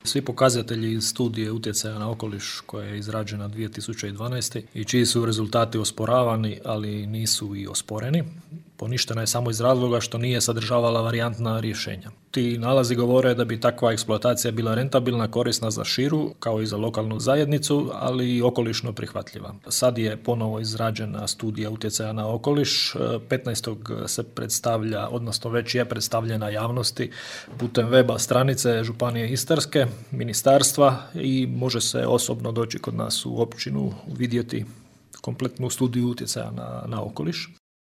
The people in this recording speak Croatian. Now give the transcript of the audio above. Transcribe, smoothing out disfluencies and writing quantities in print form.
Svi pokazatelji iz studije utjecaja na okoliš koja je izrađena 2012. i čiji su rezultati osporavani, ali nisu i osporeni, poništena je samo iz razloga što nije sadržavala varijantna rješenja. Ti nalazi govore da bi takva eksploatacija bila rentabilna, korisna za širu, kao i za lokalnu zajednicu, ali i okolišno prihvatljiva. Sad je ponovo izrađena studija utjecaja na okoliš. 15. se predstavlja, odnosno već je predstavljena javnosti putem weba stranice Županije Istarske, ministarstva, i može se osobno doći kod nas u općinu vidjeti kompletnu studiju utjecaja na okoliš.